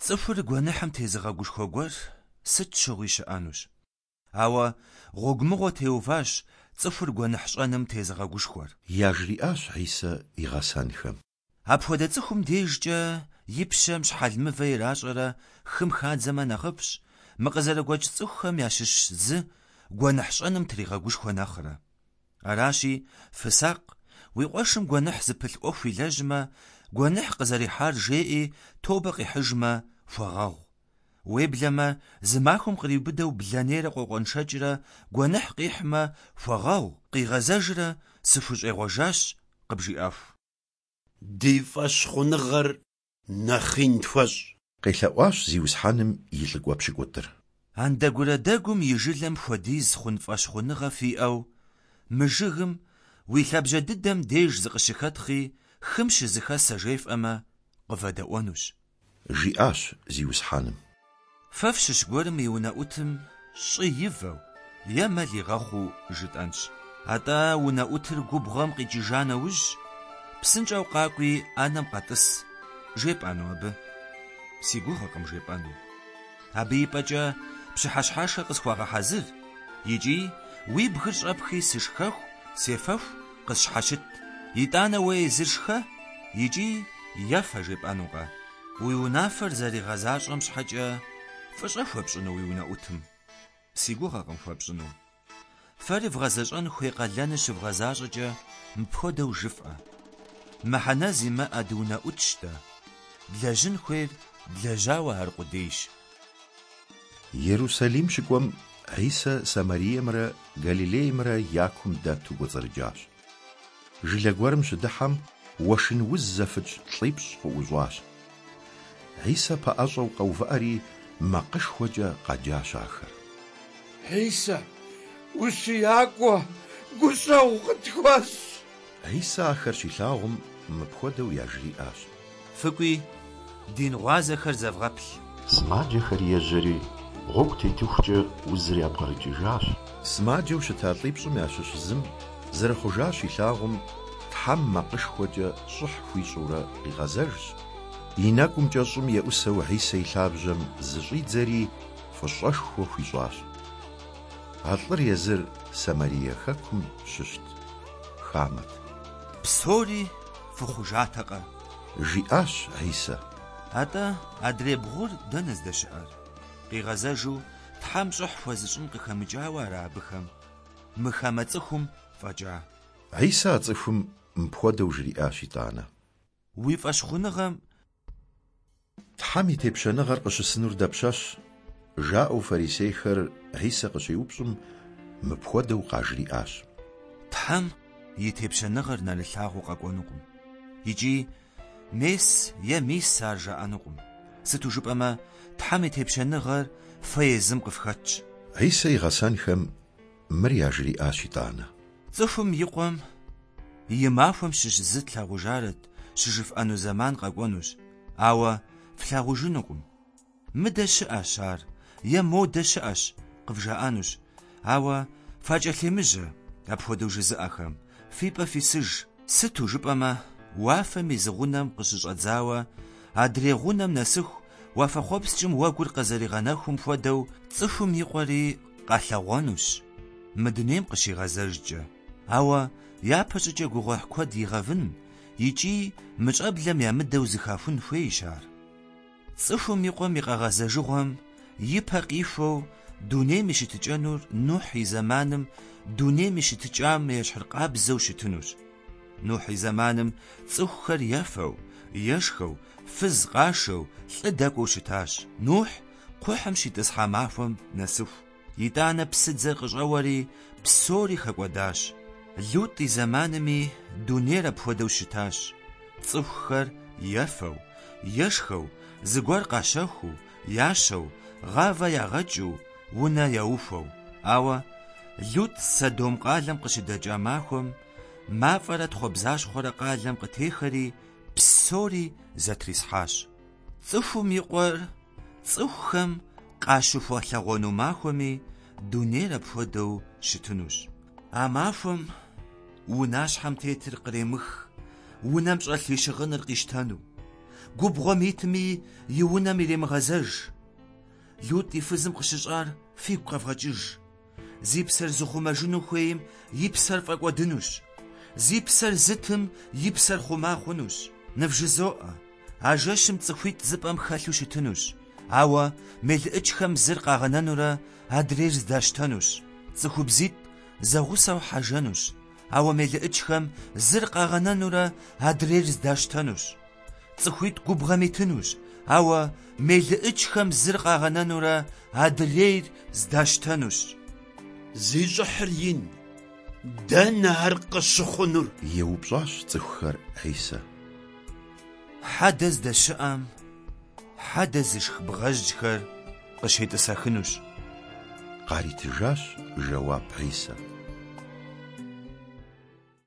Цӏыхур гуэныхьым тезыгъэгушхуэ гуэр сыт щыгъуи щыӏэнущ. Ауэ гъуэгу мыгъуэ теуващ цӏыхур гуэныхь щӏэным тезыгъэгушхуэр. Яжриӏащ Хьисэ и гъэсэнхэм. Апхуэдэ цӏыхум дежкӏэ и пщэм щхьэл мывэ иращӏэрэ хым хадзэмэ нэхъыфӏщ, мы къызэрыгуэкӏ цӏыхухэм ящыщ зы гуэныхь щӏэным тригъэгушхуэ нэхърэ. Аращи, фысакъ, уи къуэшым гуэныхь зыпылъ ӏуэху илэжьмэ, гуэныхь къызэрихьар жеӏи, тобэ къихьыжмэ, хуэгъэгъу. Уеблэмэ, зы махуэм къриубыдэу блэнейрэ къокъуэншэкӏрэ гуэныхь къихьмэ, хуэгъэгъу, къигъэзэжрэ сыхущӏегъуэжащ къыбжиӏэху. Ди фӏэщхъуныгъэр нэхъ ин тхуэщӏ. Къелъэӏуащ Зиусхьэным и лӏыкӏуэ пщыкӏутӏыр. Андэгурэ-дэгум и жылэм хуэдиз хъун фӏэщхъуныгъэ фиӏэу, мы жыгым уи лъабжьэ дыдэм деж зыкъыщыхэтхъи, хым щызыхэсэ жефӏэмэ, къывэдэӏуэнущ. Жиӏащ Зиусхьэным. Фэ фщыщ гуэрым и унэӏутым щӏы ивэу е мэл игъэхъуу жытӏэнщ. Атӏэ унэӏутыр губгъуэм къикӏыжа нэужь, псынщӏэу къакӏуи ӏэнэм къэтӏыс, жепӏэну абы? Си гугъэкъым жепӏэну. Абы и пӏэкӏэ пщыхьэщхьэшхэ къысхуэгъэхьэзыр икӏи уи бгыр щӏэпхи сышхэху, сефэху къысщхьэщыт. Итӏанэ уэ езыр шхэ икӏи ефэ жепӏэнукъэ? Уи унафэр зэригъэзащӏэм щхьэкӏэ фӏыщӏэ хуэпщӏыну уи унэӏутым? Си гугъэкъым хуэпщӏыну. Фэри вгъэзэщӏэн хуей къалэныр щывгъэзащӏэкӏэ мыпхуэдэу жыфӏэ: Мыхьэнэ зимыӏэ дыунэӏутщ дэ, длэжьын хуейр длэжьауэ аркъудейщ. Ерусалим щыкӏуэм Хьисэ Самариемрэ Галилеймрэ я кум дэту кӏуэцӏрыкӏащ. Жылэ гуэрым щыдыхьэм, уэшын уз зэфыкӏ лӏипщӏ къыӏущӏащ. Хьисэ пэӏэщӏэу къэувыӏэри, макъышхуэкӏэ къэджащ ахэр. Хьисэ, ущиякӏуэ, гущӏэгъу къытхуэщӏ! Хьисэ ахэр щилъагъум, мыпхуэдэу яжриӏащ. Фыкӏуи, дин гъуазэхэр зэвгъэплъ. Сымаджэхэр ежьэри, гъуэгу тетыхукӏэ узыр япкърыкӏыжащ. Сымаджэу щыта лӏипщӏым ящыщ зым зэрыхъужар щилъагъум, Тхьэм макъышхуэкӏэ щӏыхь хуищӏурэ къигъэзэжщ, и нэкӏумкӏэ щӏым еӏусэу Хьисэ и лъабжьэм зыщӏидзэри, фӏыщӏэшхуэ хуищӏащ. А лӏыр езыр Самарие хэкум щыщт, хамэт. Псори фыхъужатэкъэ? Жиӏащ Хьисэ. Атӏэ адрей бгъур дэнэ здэщыӏэр? Къигъэзэжу Тхьэм щӏыхь хуэзыщӏын къыхэмыкӏауэ ара абыхэм, мы хамэ цӏыхум фӏэкӏа? Хьисэ а цӏыхум мыпхуэдэу жриӏащ итӏанэ. Уи фӏэщхъуныгъэм. Тхьэм и тепщэныгъэр къыщысынур дапщэщ? жаӏэу фарисейхэр Хьисэ къыщеупщӏым, мыпхуэдэу къажриӏащ. Тхьэм и тепщэныгъэр нэрылъагъуу къэкӏуэнукъым. Икӏи мес е мис ар жаӏэнукъым. Сыту жыпӏэмэ, Тхьэм и тепщэныгъэр фэ езым къыфхэтщ. Хьисэ и гъэсэнхэм мыр яжриӏащ итӏанэ. Цӏыхум и Къуэм и махуэм щыщ зы тлъагъужарэт щыжыфӏэну зэман къэкӏуэнущ, ауэ флъагъужынукъым. Мыдэ щыӏэщ ар е модэ щыӏэщ къывжаӏэнущ, ауэ факӏэлъемыжьэ апхуэдэу жызыӏэхэм, фи пӏэ фисыж, сыту жыпӏэмэ, уафэм и зы гъунэм къыщыщӏэдзауэ адрей гъунэм нэсыху уафэхъуэпскӏым уэгур къызэригъэнэхум хуэдэу цӏыхум и Къуэри къэлъэгъуэнущ мы дунейм къыщигъэзэжкӏэ. Ауэ япэщӏыкӏэ гугъуехь куэд игъэвын икӏи мы щӏэблэм ямыдэу зыхахун хуейщ ар. Цӏыхум и Къуэм и къэгъэзэжыгъуэм и пэ къихуэу дунейм и щытыкӏэнур Нухь и зэманым дунейм и щытыкӏам ещхьыркъабзэу щытынущ. Нухь и зэманым цӏыхухэр ефэу, ешхэу, фыз къашэу, лӏы дэкӏуэу щытащ. Нухь кхъухьым щитӏысхьа махуэм нэсыху. Итӏанэ псыдзэр къыщӏэуэри, псори хэкӏуэдащ. Лутӏ и зэманми дунейр апхуэдэу щытащ. Цӏыхухэр ефэу, ешхэу, зыгуэр къащэхуу, ящэу, гъавэ ягъэкӏыу, унэ яухуэу. Ауэ Лутӏ Содом къалэм къыщыдэкӏа махуэм мафӏэрэ тхъуэбзащхъуэрэ къалэм къытехэри, псори зэтрисхьащ. Цӏыхум и Къуэр цӏыхухэм къащыхуэлъэгъуэну махуэми дунейр апхуэдэу щытынущ. А махуэм унащхьэм тетыр къремых, унэм щӏэлъ и щыгъыныр къищтэну. Губгъуэм итми, и унэм иремыгъэзэж. Лутӏ и фызым къыщыщӏар фигу къэвгъэкӏыж. Зи псэр зыхъумэжыну хуейм и псэр фӏэкӏуэдынущ. Зи псэр зытым и псэр хъума хъунущ. Нывжызоӏэ, а жэщым цӏыхуитӏ зы пӏэм хэлъу щытынущ, ауэ мелыӏычхэм зыр къагъэнэнурэ адрейр здащтэнущ. Цӏыхубзитӏ зэгъусэу хьэжэнущ, ауэ мелыӏычхэм зыр къагъэнэнурэ адрейр здащтэнущ. Цӏыхуитӏ губгъуэм итынущ, ауэ мелыӏычхэм зыр къагъэнэнурэ адрейр здащтэнущ. Зи щӏыхьыр ин, дэнэ ар къыщыхъунур? Еупщӏащ цӏыхухэр Хьисэ. Хьэдэ здэщыӏэм хьэдэ зышх бгъэжьхэр къыщетӏысэхынущ. Къаритыжащ жэуап Хьисэ.